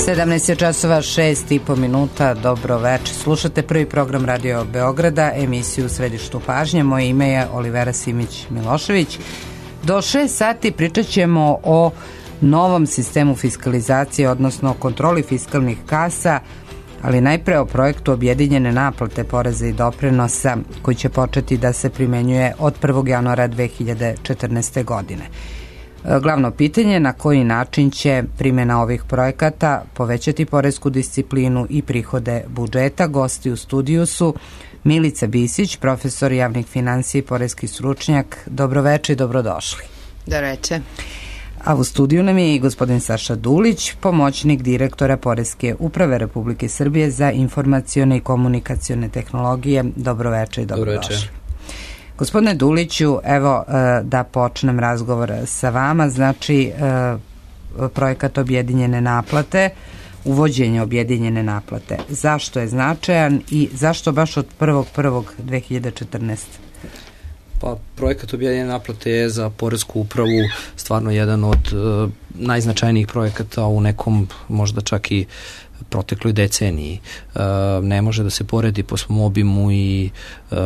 17 je časova, 6,5 minuta, dobro večer. Slušate prvi program Radio Beograda, emisiju Središtu pažnje. Moje ime je Olivera Simić-Milošević. Do 6 sati pričat ćemo o novom sistemu fiskalizacije, odnosno kontroli fiskalnih kasa, ali najpre o projektu objedinjene naplate poreza i doprinosa koji će početi da se primenjuje od 1. januara 2014. godine. Glavno pitanje, na koji način će primjena ovih projekata povećati poresku disciplinu i prihode budžeta. Gosti u studiju su Milica Bisić, profesor javnih finansija i poreski stručnjak. Dobroveče i dobrodošli. Dobroveče. A u studiju nam je i gospodin Saša Dulić, pomoćnik direktora Poreske uprave Republike Srbije za informacione i komunikacione tehnologije. Dobroveče i dobrodošli. Gospodine Duliću, evo da počnem razgovor sa vama. Znači, projekat objedinjene naplate, uvođenje objedinjene naplate. Zašto je značajan i zašto baš od 1.1.2014? Pa, projekat objedinjene naplate je za Poresku upravu stvarno jedan od najznačajnijih projekata u nekom možda čak i protekloj deceniji. Ne može da se poredi po svom obimu i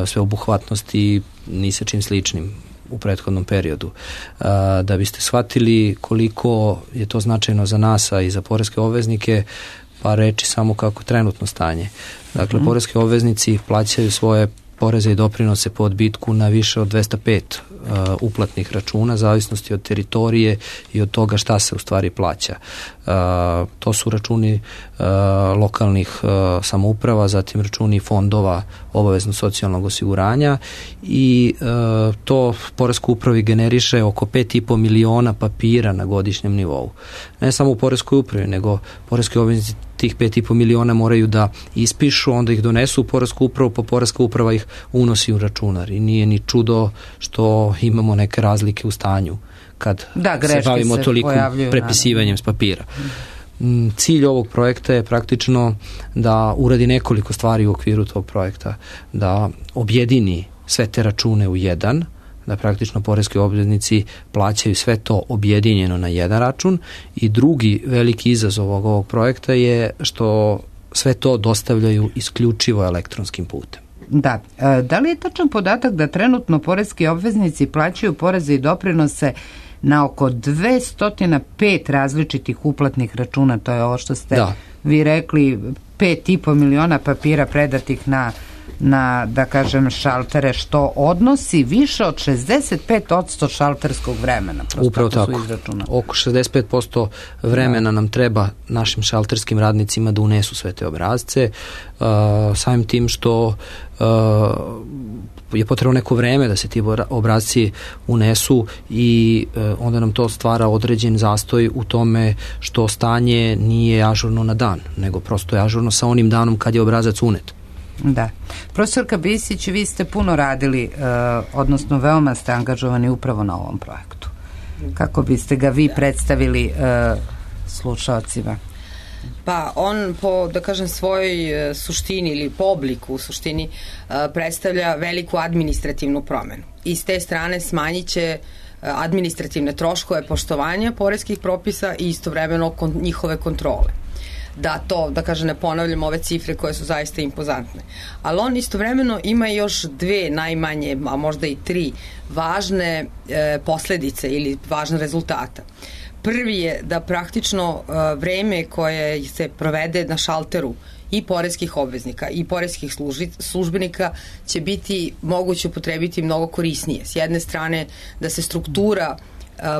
sveobuhvatnosti ni sa čim sličnim u prethodnom periodu. Da biste shvatili koliko je to značajno za nas, a i za poreske obveznike, pa reći samo kako trenutno stanje. Dakle, poreski obveznici plaćaju svoje poreze i doprinose po odbitku na više od 205 uplatnih računa, zavisnosti od teritorije i od toga šta se u stvari plaća. To su računi lokalnih samouprava, zatim računi fondova obavezno socijalnog osiguranja i to Poreskoj upravi generiše oko 5,5 miliona papira na godišnjem nivou. Ne samo u Poreskoj upravi, nego poreski obveznici tih 5,5 miliona moraju da ispišu, onda ih donesu u Poresku upravu, pa Poreska uprava ih unosi u računar i nije ni čudo što imamo neke razlike u stanju kad se bavimo toliko prepisivanjem s papira. Cilj ovog projekta je praktično da uradi nekoliko stvari u okviru tog projekta, da objedini sve te račune u jedan, da praktično poreski obveznici plaćaju sve to objedinjeno na jedan račun, i drugi veliki izazov ovog projekta je što sve to dostavljaju isključivo elektronskim putem. Da. Da li je tačan podatak da trenutno poreski obveznici plaćaju poreze i doprinose na oko 205 različitih uplatnih računa? To je ovo što ste vi rekli, 5,5 miliona papira predatih na, da kažem, šaltere, što odnosi više od 65% šalterskog vremena. Upravo tako. Oko 65% vremena nam treba našim šalterskim radnicima da unesu sve te obrazce, samim tim što je potrebno neko vreme da se ti obrazci unesu i onda nam to stvara određen zastoj u tome što stanje nije ažurno na dan, nego prosto je ažurno sa onim danom kad je obrazac unet. Da. Profesorka Bisić, vi ste puno radili, odnosno veoma ste angažovani upravo na ovom projektu. Kako biste ga vi predstavili slušalcima? Pa on po, da kažem, svojoj suštini ili po obliku u suštini predstavlja veliku administrativnu promenu. I s te strane smanjit će administrativne troškove poštovanja poreskih propisa i istovremeno njihove kontrole. Da to, da kažem, ne ponavljam ove cifre koje su zaista impozantne. Ali on istovremeno ima još dve najmanje, a možda i tri važne posledice ili važne rezultata. Prvi je da praktično vreme koje se provede na šalteru i poreskih obveznika i poreskih službenika će biti moguće upotrebiti mnogo korisnije. S jedne strane da se struktura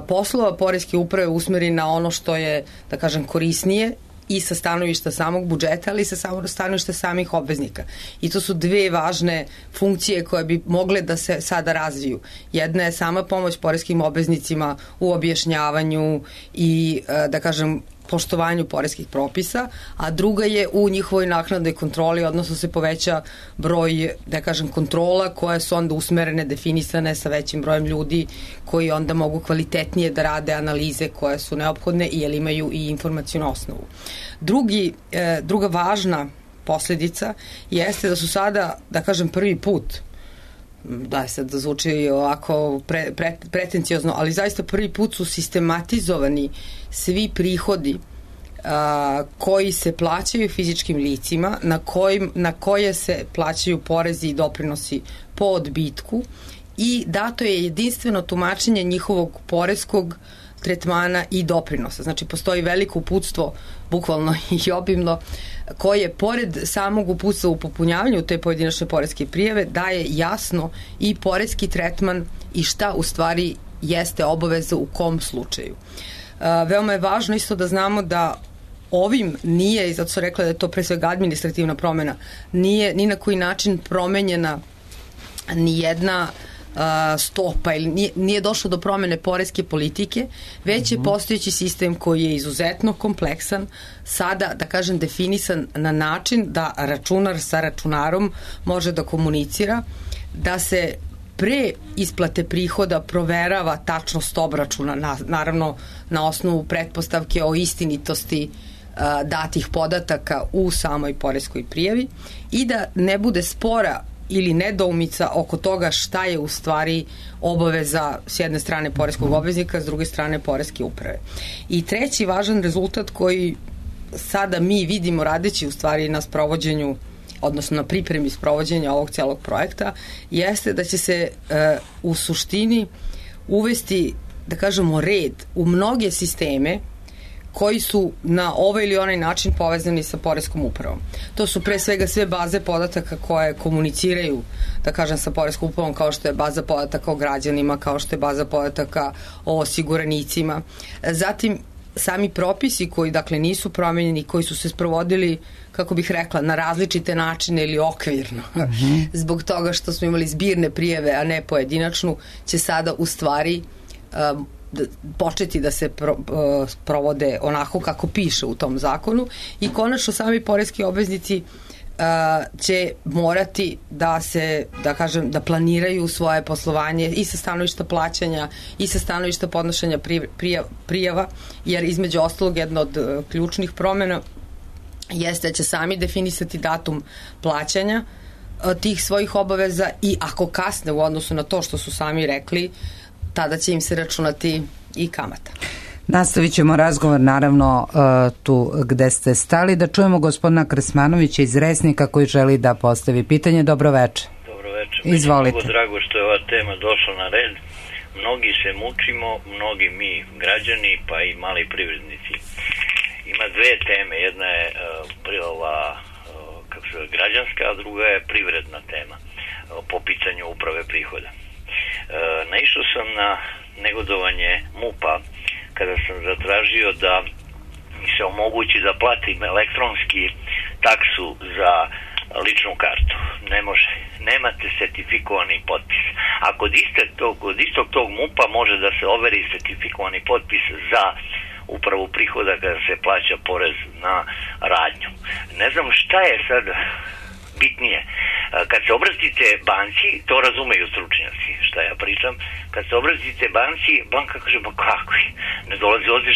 poslova poreske uprave usmeri na ono što je, da kažem, korisnije i sa stanovišta samog budžeta, ali i sa stanovišta samih obveznika. I to su dve važne funkcije koje bi mogle da se sada razviju. Jedna je sama pomoć poreskim obveznicima u objašnjavanju i, da kažem, poštovanju poreskih propisa, a druga je u njihovoj naknadnoj kontroli, odnosno se poveća broj, da kažem, kontrola koje su onda usmerene, definisane sa većim brojem ljudi koji onda mogu kvalitetnije da rade analize koje su neophodne i jer imaju i informacijnu osnovu. Druga važna posledica jeste da su sada, da kažem, prvi put, da sad zvuči ovako pretenciozno, ali zaista prvi put su sistematizovani svi prihodi koji se plaćaju fizičkim licima, na koje se plaćaju porezi i doprinosi po odbitku i dato je jedinstveno tumačenje njihovog poreskog tretmana i doprinosa. Znači, postoji veliko uputstvo, bukvalno i obimno, koje, pored samog uputstva u popunjavanju te pojedinačne poreske prijave, daje jasno i poreski tretman i šta u stvari jeste obaveza u kom slučaju. Veoma je važno isto da znamo da ovim nije, i zato su rekla da je to pre svega administrativna promena, nije ni na koji način promenjena ni jedna stopa ili nije došlo do promene poreske politike, već je postojeći sistem koji je izuzetno kompleksan, sada, da kažem, definisan na način da računar sa računarom može da komunicira, da se pre isplate prihoda proverava tačnost obračuna, naravno na osnovu pretpostavke o istinitosti datih podataka u samoj poreskoj prijavi i da ne bude spora ili nedoumica oko toga šta je u stvari obaveza s jedne strane poreskog obveznika, s druge strane poreske uprave. I treći važan rezultat koji sada mi vidimo radeći u stvari na sprovođenju, odnosno na pripremi sprovođenja ovog celog projekta, jeste da će se u suštini uvesti, da kažemo, red u mnoge sisteme koji su na ovaj ili onaj način povezani sa poreskom upravom. To su pre svega sve baze podataka koje komuniciraju, da kažem, sa poreskom upravom, kao što je baza podataka o građanima, kao što je baza podataka o osiguranicima. Zatim, sami propisi koji, dakle, nisu promenjeni, koji su se sprovodili, kako bih rekla, na različite načine ili okvirno, zbog toga što smo imali zbirne prijave, a ne pojedinačnu, će sada u stvari početi da se provode onako kako piše u tom zakonu i konačno sami poreski obveznici će morati da se, da kažem, da planiraju svoje poslovanje i sa stanovišta plaćanja i sa stanovišta podnošenja prijava, jer između ostalog jedna od ključnih promena jeste da će sami definisati datum plaćanja tih svojih obaveza i ako kasne u odnosu na to što su sami rekli, tada će im se računati i kamata. Nastavit ćemo razgovor naravno tu gde ste stali, da čujemo gospodina Krsmanovića iz Resnika koji želi da postavi pitanje. Dobro veče. Dobro veče. Izvolite. Mnogo drago što je ova tema došla na red. Mnogi se mučimo, mnogi mi građani pa i mali privrednici. Ima dve teme, jedna je ova građanska, a druga je privredna tema po pitanju uprave prihoda. Naišao sam na negodovanje MUP-a kada sam zatražio da mi se omogući da platim elektronski taksu za ličnu kartu. Ne može. Nemate sertifikovani potpis. A kod istog tog MUP-a može da se overi sertifikovani potpis za upravu prihoda kada se plaća porez na radnju. Ne znam šta je sad bitnije. Kad se obratite banci, to razumeju stručnjaci šta ja pričam, kad se obratite banci, banka kaže, ba kakvi, ne dolazi ovdje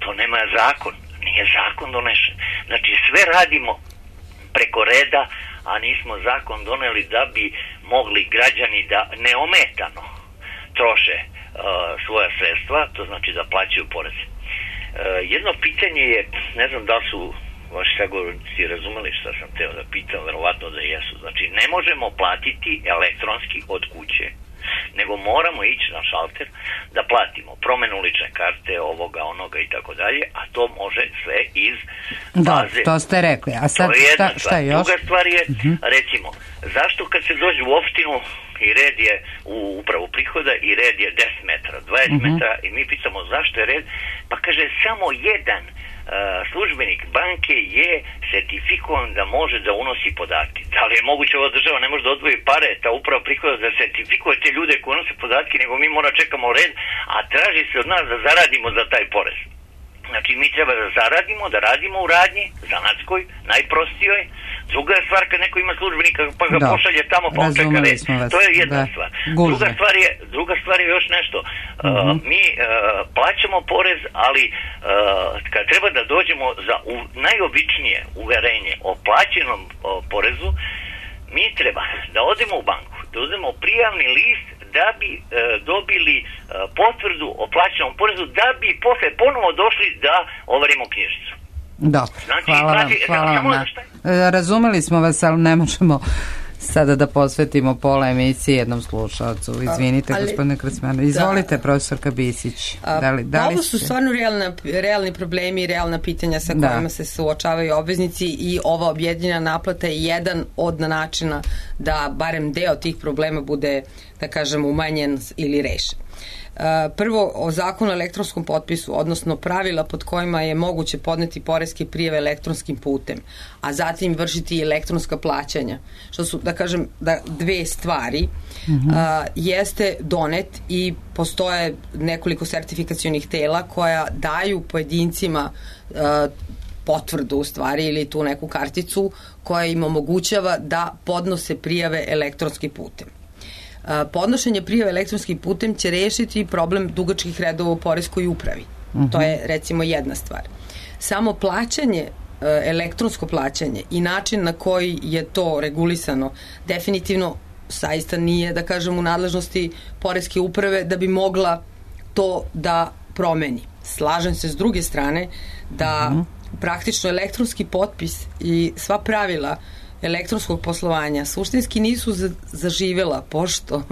to nema zakon, nije zakon donešen. Znači sve radimo preko reda, a nismo zakon doneli da bi mogli građani da neometano troše svoja sredstva, to znači da plaćaju poreze. Jedno pitanje je, ne znam da su vaši sagovornici razumeli šta sam teo da pitam, verovatno da jesu. Znači, ne možemo platiti elektronski od kuće, nego moramo ići na šalter da platimo promenu lične karte, ovoga, onoga i tako dalje, a to može sve iz baze. Da, to ste rekli. A sad šta je još? Druga stvar je, recimo, zašto kad se dođe u opštinu i red je u upravu prihoda i red je 10 metara, 20 metara i mi pitamo zašto je red, pa kaže samo jedan službenik banke je sertifikovan da može da unosi podatke. Da li je moguće ova država ne može da odvoji pare, ta uprava prihoda da sertifikuje te ljude koji unose podatke, nego mi mora čekamo red, a traži se od nas da zaradimo za taj porez. Znači mi treba da zaradimo, da radimo u radnji, zanatskoj, najprostijoj. Druga je stvar kad neko ima službenika pa ga pošalje tamo pa on čeka red. To je jedna stvar. Druga stvar je još nešto. Mi plaćamo porez, ali kad treba da dođemo za najobičnije uverenje o plaćenom porezu, mi treba da odemo u banku, da uzmemo prijavni list da bi dobili potvrdu o plaćenom porezu, da bi posle ponovo došli da overimo knjižicu. Dobro, Znači, hvala vam. Razumeli smo vas, ali ne možemo sada da posvetimo pola emisije jednom slušalcu. Izvinite, gospodine Krasmanović. Izvolite, profesorka Bisić. Ovo su stvarno realni problemi i realna pitanja sa kojima se suočavaju obveznici i ova objedinjena naplata je jedan od načina da barem deo tih problema bude, da kažem, umanjen ili rešen. Prvo, o zakonu o elektronskom potpisu, odnosno pravila pod kojima je moguće podneti poreske prijave elektronskim putem, a zatim vršiti elektronska plaćanja, što su, da kažem, dve stvari, jeste donet i postoje nekoliko sertifikacionih tela koja daju pojedincima potvrdu u stvari ili tu neku karticu koja im omogućava da podnose prijave elektronskim putem. Podnošenje prijave elektronskim putem će rešiti problem dugačkih redova u poreskoj upravi. To je recimo jedna stvar. Samo plaćanje, elektronsko plaćanje i način na koji je to regulisano definitivno zaista nije, da kažem, u nadležnosti poreske uprave da bi mogla to da promeni. Slažem se s druge strane da praktično elektronski potpis i sva pravila elektronskog poslovanja suštinski nisu zaživela, pošto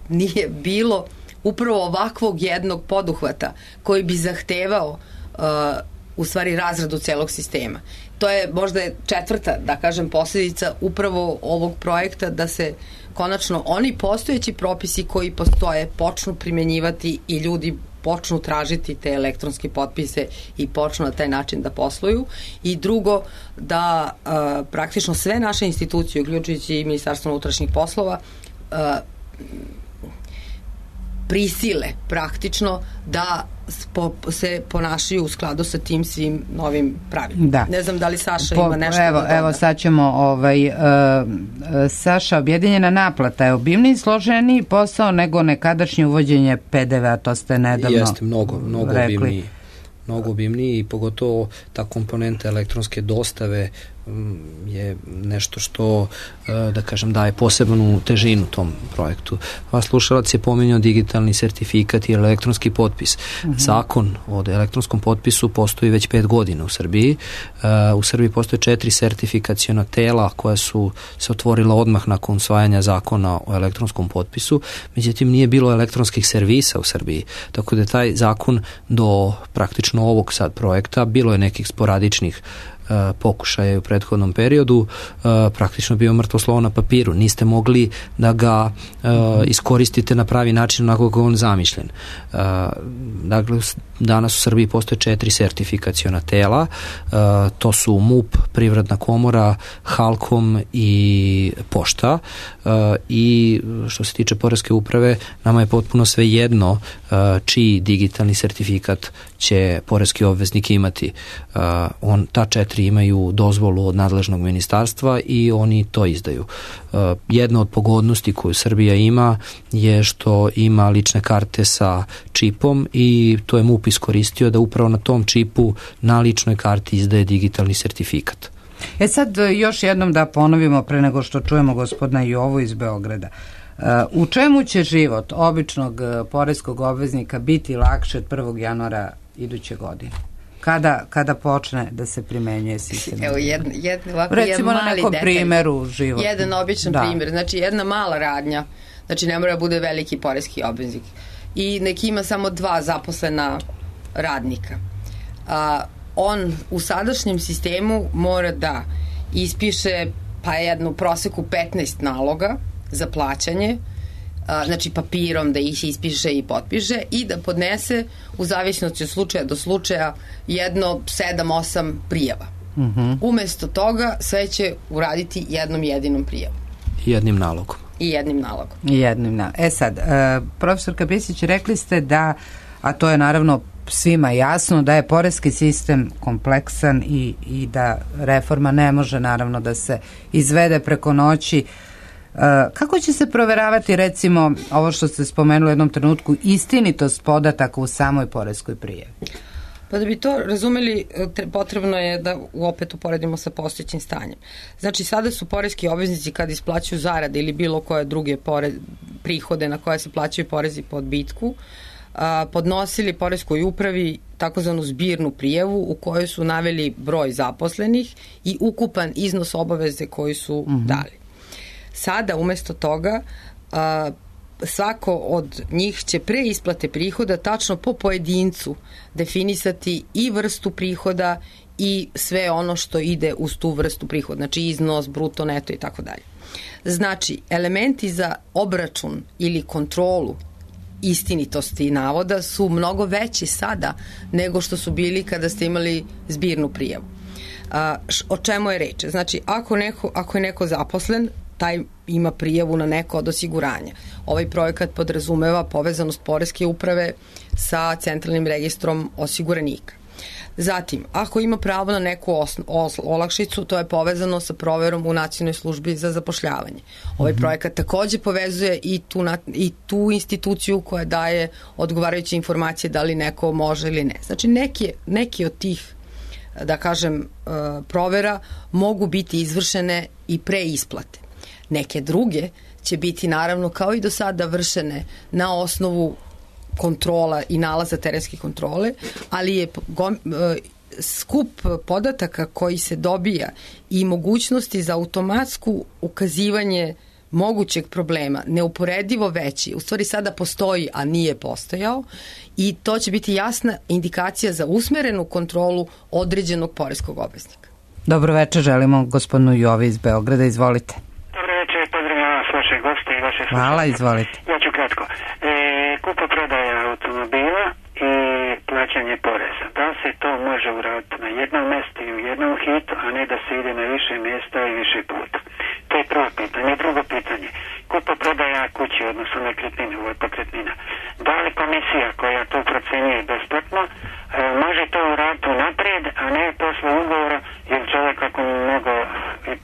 nije bilo upravo ovakvog jednog poduhvata koji bi zahtevao u stvari razradu celog sistema. To je možda četvrta, da kažem, posljedica upravo ovog projekta, da se konačno oni postojeći propisi koji postoje počnu primjenjivati i ljudi počnu tražiti te elektronske potpise i počnu na taj način da posluju. I drugo, da praktično sve naše institucije, uključujući i Ministarstvo unutrašnjih poslova, prisile praktično da se ponašaju u skladu sa tim svim novim pravilima. Ne znam da li Saša ima nešto da doda. Evo sad ćemo Saša, objedinjena naplata je obimniji i složeniji posao nego nekadašnje uvođenje PDV-a, to ste nedavno Jeste, mnogo obimniji i pogotovo ta komponenta elektronske dostave je nešto što, da kažem, daje posebnu težinu tom projektu. Vas slušalac je pominjao digitalni sertifikat i elektronski potpis. Zakon o elektronskom potpisu postoji već 5 godina u Srbiji. U Srbiji postoje 4 sertifikaciona tela koja su se otvorila odmah nakon usvajanja zakona o elektronskom potpisu. Međutim, nije bilo elektronskih servisa u Srbiji. Tako da je taj zakon do praktično ovog sad projekta, bilo je nekih sporadičnih pokušaja u prethodnom periodu, praktično bio mrtvo slovo na papiru. Niste mogli da ga iskoristite na pravi način onako kako je on zamišljen. Dakle, danas u Srbiji postoje 4 sertifikaciona tela, to su MUP, Privredna komora, Halkom i Pošta, i što se tiče poreske uprave, nama je potpuno sve jedno čiji digitalni sertifikat će poreski obveznik imati. Ta 4 imaju dozvolu od nadležnog ministarstva i oni to izdaju. Jedna od pogodnosti koju Srbija ima je što ima lične karte sa čipom i to je MUP iskoristio da upravo na tom čipu na ličnoj karti izdaje digitalni sertifikat. Sad još jednom da ponovimo pre nego što čujemo gospodina Jovu iz Beograda. U čemu će život običnog poreskog obveznika biti lakše od 1. januara iduće godine? Kada počne da se primenjuje sistem? Evo, recimo na nekom primjeru života. Jedan običan primjer, znači jedna mala radnja, znači ne mora bude veliki poreski obveznik i neki ima samo 2 zaposlena radnika. On u sadašnjem sistemu mora da ispiše pa jednu proseku 15 naloga za plaćanje, znači papirom da ih ispiše i potpiše i da podnese u zavisnosti od slučaja do slučaja jedno 7-8 prijava. Umesto toga sve će uraditi jednom jedinom prijavom. Jednim nalogom. I jednim nalogom. Sad, profesorka Bisić, rekli ste da, a to je naravno svima jasno, da je poreski sistem kompleksan i da reforma ne može naravno da se izvede preko noći. Kako će se proveravati, recimo, ovo što ste spomenuli u jednom trenutku, istinitost podataka u samoj poreskoj prijavi? Pa da bi to razumeli, potrebno je da opet uporedimo sa postojećim stanjem. Znači, sada su poreski obveznici kad isplaćuju zarade ili bilo koje druge prihode na koje se plaćaju porezi po odbitku, podnosili poreskoj upravi takozvanu zbirnu prijavu u kojoj su naveli broj zaposlenih i ukupan iznos obaveze koji su dali. Sada umesto toga svako od njih će pre isplate prihoda tačno po pojedincu definisati i vrstu prihoda i sve ono što ide uz tu vrstu prihoda, znači iznos, bruto, neto i tako dalje. Znači, elementi za obračun ili kontrolu istinitosti navoda su mnogo veći sada nego što su bili kada ste imali zbirnu prijavu. O čemu je reč? Znači, ako je neko zaposlen, taj ima prijavu na neko od osiguranja. Ovaj projekat podrazumeva povezanost poreske uprave sa centralnim registrom osiguranika. Zatim, ako ima pravo na neku olakšicu, to je povezano sa proverom u Nacionalnoj službi za zapošljavanje. Ovaj projekat takođe povezuje i tu instituciju koja daje odgovarajuće informacije da li neko može ili ne. Znači, neki od tih, da kažem, provera mogu biti izvršene i pre isplate. Neke druge će biti naravno kao i do sada vršene na osnovu kontrola i nalaza terenske kontrole, ali je skup podataka koji se dobija i mogućnosti za automatsko ukazivanje mogućeg problema neuporedivo veći. U stvari sada postoji, a nije postojao, i to će biti jasna indikacija za usmerenu kontrolu određenog poreskog obveznika. Dobro večer, želimo gospodinu Jovi iz Beograda, izvolite. Dobro večer, pozdravljam vas, vaše goste i vaše slušanje. Hvala, izvolite. Ja ću kratko. Kupoprodaja automobila i plaćanje poreza. Da se to može uraditi na jednom mjestu i u jednom hitu, a ne da se ide na više mjesta i više puta? To je prvo pitanje. Drugo pitanje. Kupoprodaja kući, odnosno nekretnine, ovo je pokretnina. Da li komisija koja to procenjuje besplatno može to uraditi unaprijed, a ne posle ugovora, jer čovjek ako mnogo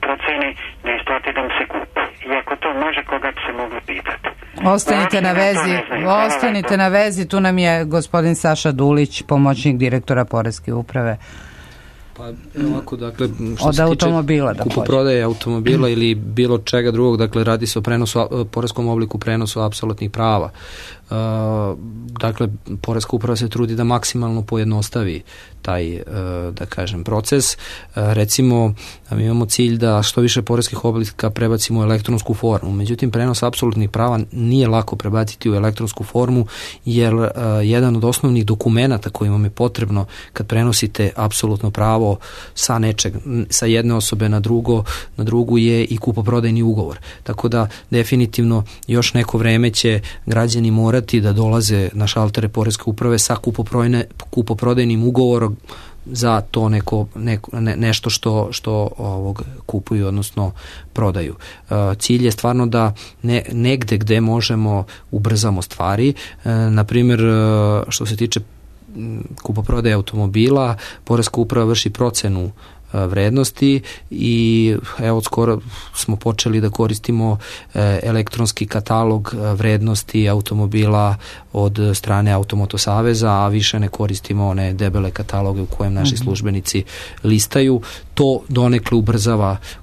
proceni ne isplati da mu se kupi. I ako to može, koga bi se mogli pitati? Ostanite na vezi, tu nam je gospodin Saša Dulić, pomoćnik direktora Poreske uprave. Pa ovako, dakle, što od se automobila, tiče kupoprodaje automobila ili bilo čega drugog, dakle, radi se o prenosu, poreskom obliku prenosu apsolutnih prava. Dakle, Poreska uprava se trudi da maksimalno pojednostavi taj, da kažem, proces. Recimo, mi imamo cilj da što više poreskih oblika prebacimo u elektronsku formu. Međutim, prenos apsolutnih prava nije lako prebaciti u elektronsku formu, jer jedan od osnovnih dokumenata koji vam je potrebno kad prenosite apsolutno pravo sa jedne osobe na drugu je i kupoprodajni ugovor. Tako da, definitivno, još neko vreme će građani morati da dolaze na šaltere Poreske uprave sa kupoprodajnim ugovorom za to nešto što kupuju, odnosno prodaju. Cilj je stvarno da negde gde možemo ubrzamo stvari. Naprimjer, što se tiče kupoprodaje automobila, Poreska uprava vrši procenu vrednosti i evo skoro smo počeli da koristimo elektronski katalog vrednosti automobila od strane Automoto saveza, a više ne koristimo one debele kataloge u kojem naši službenici listaju. To donekle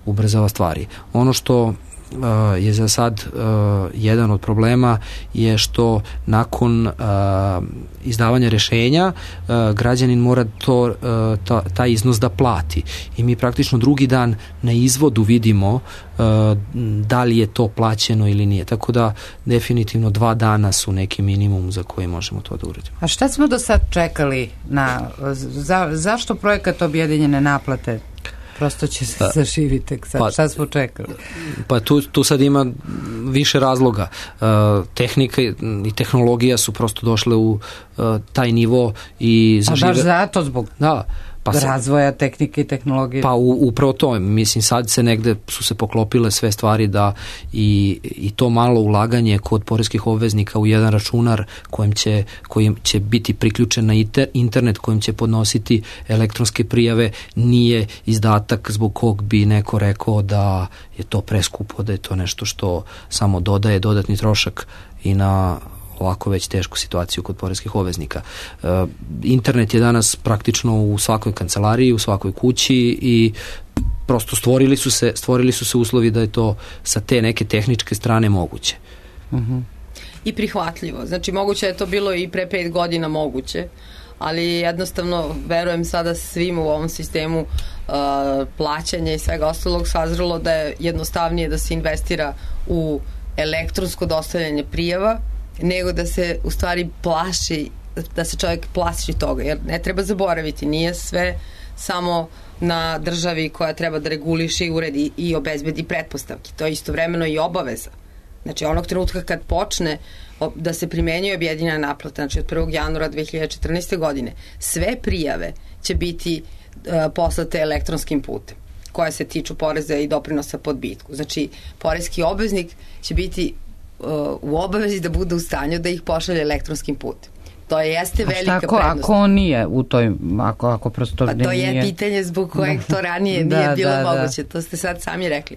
ubrzava stvari. Ono što je za sad jedan od problema je što nakon izdavanja rešenja građanin mora taj iznos da plati i mi praktično drugi dan na izvodu vidimo da li je to plaćeno ili nije. Tako da definitivno 2 dana su neki minimum za koji možemo to da uradimo. A šta smo do sad čekali zašto projekat objedinjene naplate prosto će se zaživiti tek sad? Šta smo čekali? Pa tu sad ima više razloga. Tehnika i tehnologija su prosto došle u taj nivo i zažive... A baš zato zbog razvoja tehnike i tehnologije? Pa upravo to. Mislim, sad se negde su se poklopile sve stvari da i to malo ulaganje kod poreskih obveznika u jedan računar kojim će biti priključen na internet, kojim će podnositi elektronske prijave, nije izdatak zbog kog bi neko rekao da je to preskupo, da je to nešto što samo dodaje dodatni trošak i na ovako već tešku situaciju kod poreskih obveznika. Internet je danas praktično u svakoj kancelariji, u svakoj kući i prosto stvorili su se uslovi da je to sa te neke tehničke strane moguće. I prihvatljivo. Znači, moguće je to bilo i pre 5 godina moguće, ali jednostavno verujem sada svim u ovom sistemu plaćanja i svega ostalog sazrelo da je jednostavnije da se investira u elektronsko dostavljanje prijava nego da se u stvari plaši, da se čovjek plaši toga, jer ne treba zaboraviti, nije sve samo na državi koja treba da reguliše i uredi i obezbedi pretpostavke. To je istovremeno i obaveza. Znači, onog trenutka kad počne da se primenjuje objedinjena naplata, znači od 1. januara 2014. godine, sve prijave će biti poslate elektronskim putem, koje se tiču poreza i doprinosa po odbitku. Znači, poreski obveznik će biti u obavezi da bude u stanju da ih pošalje elektronskim putem. To jeste velika prednost. Ako on nije u toj, ako prosto pa to je pitanje zbog kojeg to ranije nije bilo moguće, to ste sad sami rekli.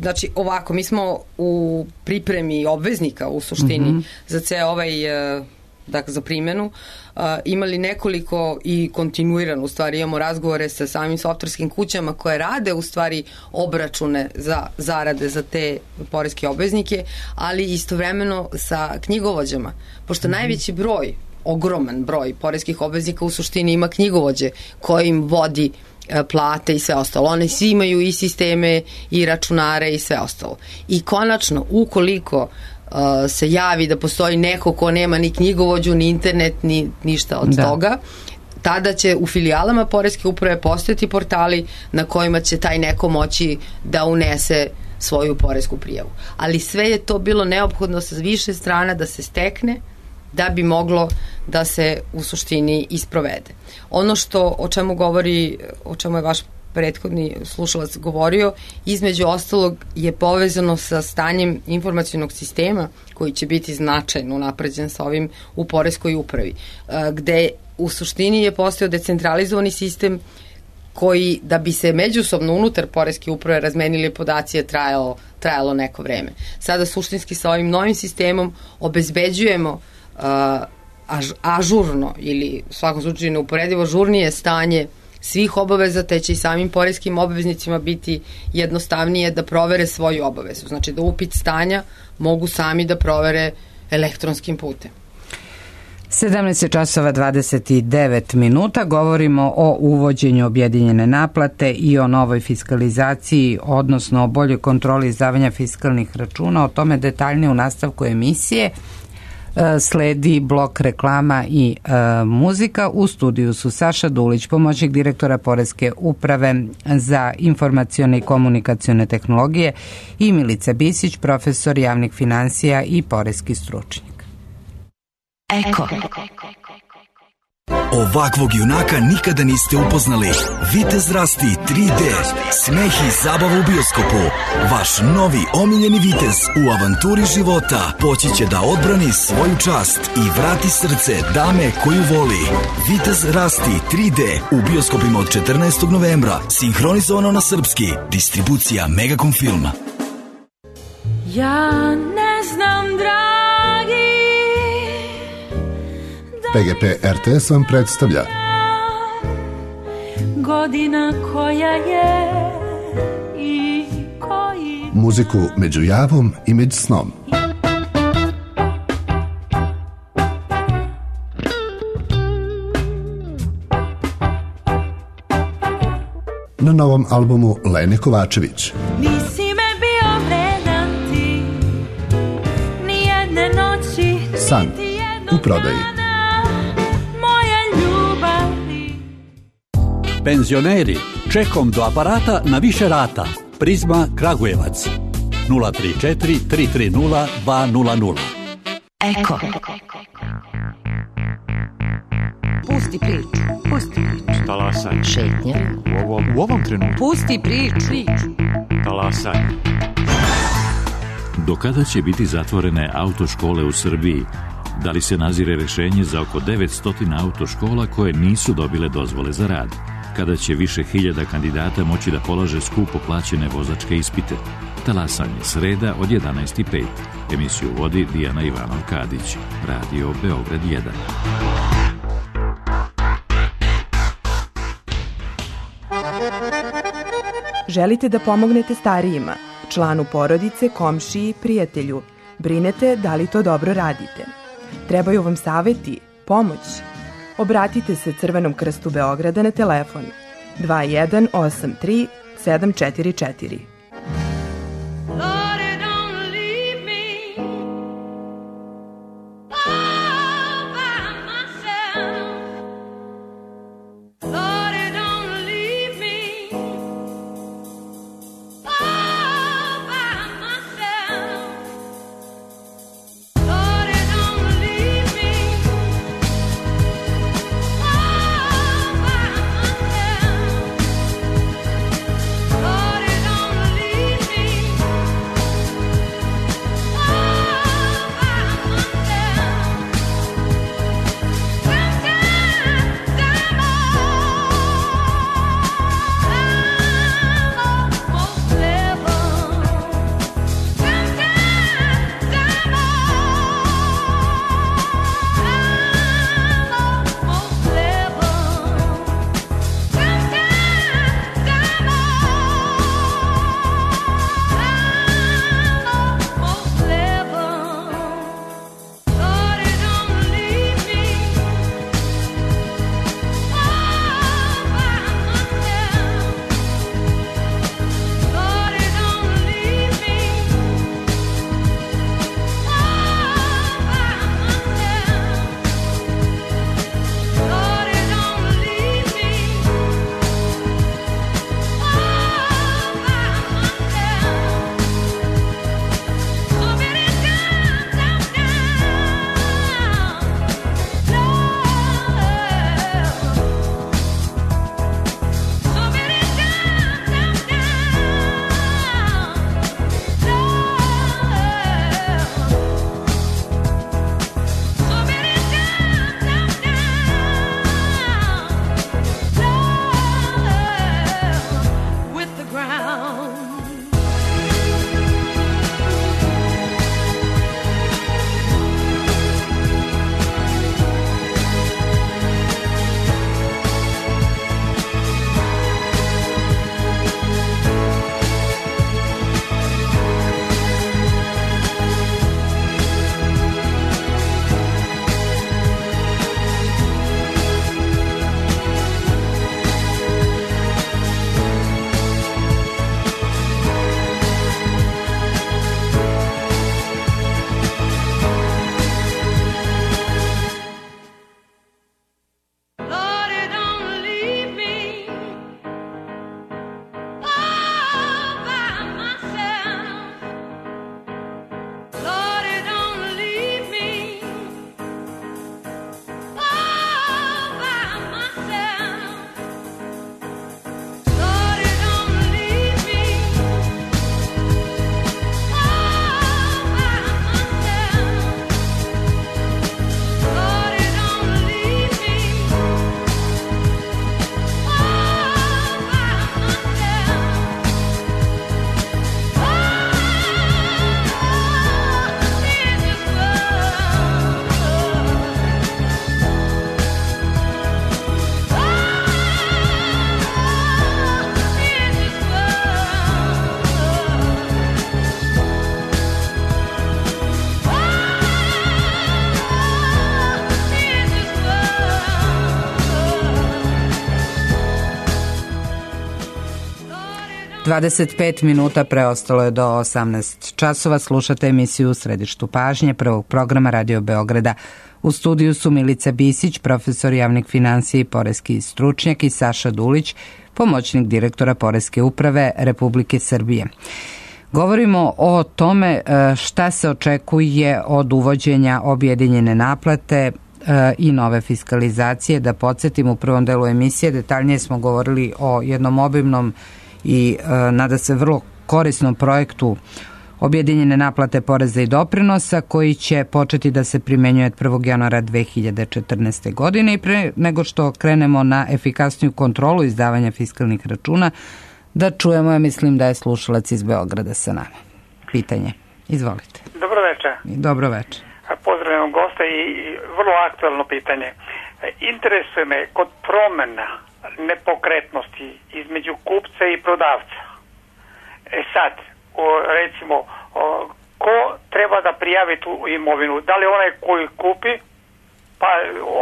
Znači ovako, mi smo u pripremi obveznika u suštini za ceo ovaj dakle za primjenu imali nekoliko i kontinuirano u stvari imamo razgovore sa samim softverskim kućama koje rade u stvari obračune za zarade za te poreske obveznike, ali istovremeno sa knjigovođama, pošto najveći broj, ogroman broj poreskih obveznika u suštini ima knjigovođe koji im vodi plate i sve ostalo. One svi imaju i sisteme i računare i sve ostalo. I konačno, ukoliko se javi da postoji neko ko nema ni knjigovođu, ni internet, ni ništa od toga, tada će u filijalama poreske uprave postojati portali na kojima će taj neko moći da unese svoju poresku prijavu. Ali sve je to bilo neophodno sa više strana da se stekne da bi moglo da se u suštini isprovede. Ono o čemu govori, o čemu je vaš prethodni slušalac govorio, između ostalog je povezano sa stanjem informacionog sistema koji će biti značajno napređen sa ovim u poreskoj upravi, gde u suštini je postao decentralizovani sistem koji, da bi se međusobno unutar poreske uprave razmenili podaci, je trajalo neko vreme. Sada suštinski sa ovim novim sistemom obezbeđujemo ažurno ili u svakom slučaju neuporedivo žurnije stanje svih obaveza, te će i samim poreskim obveznicima biti jednostavnije da provere svoju obavezu. Znači da upit stanja mogu sami da provere elektronskim putem. 17:29. Govorimo o uvođenju objedinjene naplate i o novoj fiskalizaciji, odnosno o boljoj kontroli izdavanja fiskalnih računa. O tome detaljnije u nastavku emisije. Sledi blok reklama i muzika. U studiju su Saša Dulić, pomoćnik direktora Poreske uprave za informacione i komunikacione tehnologije, i Milica Bisić, profesor javnih finansija i poreski stručnjak. Eko. Ovakvog junaka nikada niste upoznali. Vitez Rasti 3D. Smeh i zabava u bioskopu. Vaš novi omiljeni vitez u avanturi života poći će da odbrani svoju čast i vrati srce dame koju voli. Vitez Rasti 3D u bioskopima od 14. novembra. Sinhronizovano na srpski. Distribucija Megacom Filma. Ja ne znam, dragi, PGP RTS vam predstavlja godina koja je i koji muziku među javom i među snom. Na novom albumu Lene Kovačević. Nisi me bio vredan ti, ni jedne noći, San u prodaji. Penzioneri, čekom do aparata na više rata. Prizma Kragujevac 034 330 200. Eko. Pusti priču. Talasaj. Šetnja. U ovom trenutku. Pusti priču. Talasaj. Do kada će biti zatvorene autoškole u Srbiji? Da li se nazire rešenje za oko 900 autoškola koje nisu dobile dozvole za rad? Kada će više hiljada kandidata moći da polaže skupo plaćene vozačke ispite? Talasanje, sreda od 11:05. Emisiju vodi Dijana Ivanov-Kadić. Radio Beograd 1. Želite da pomognete starijima, članu porodice, komšiji, prijatelju. Brinete da li to dobro radite. Trebaju vam saveti, pomoć. obratite se Crvenom krstu Beograda na telefon 2183 744. Dvadeset minuta preostalo je do 18 časova. Slušate emisiju U središtu pažnje prvog programa Radio Beograda. U studiju su Milica Bisić, profesor javnih finansija i poreski stručnjak, i Saša Dulić, pomoćnik direktora Poreske uprave Republike Srbije. Govorimo o tome šta se očekuje od uvođenja objedinjene naplate i nove fiskalizacije. Da podsjetim, u prvom delu emisije detaljnije smo govorili o jednom obimnom i nada se vrlo korisnom projektu objedinjene naplate poreza i doprinosa koji će početi da se primenjuje od 1. januara 2014. godine. I pre nego što krenemo na efikasniju kontrolu izdavanja fiskalnih računa, da čujemo, ja mislim da je slušalac iz Beograda sa nama. Pitanje. Izvolite. Dobro večer. Dobro večer. Pozdravljam gosta i vrlo aktualno pitanje. Interesuje me kod promena nepokretnosti između kupca i prodavca. Sad, recimo, ko treba da prijavi tu imovinu? Da li onaj koji kupi, pa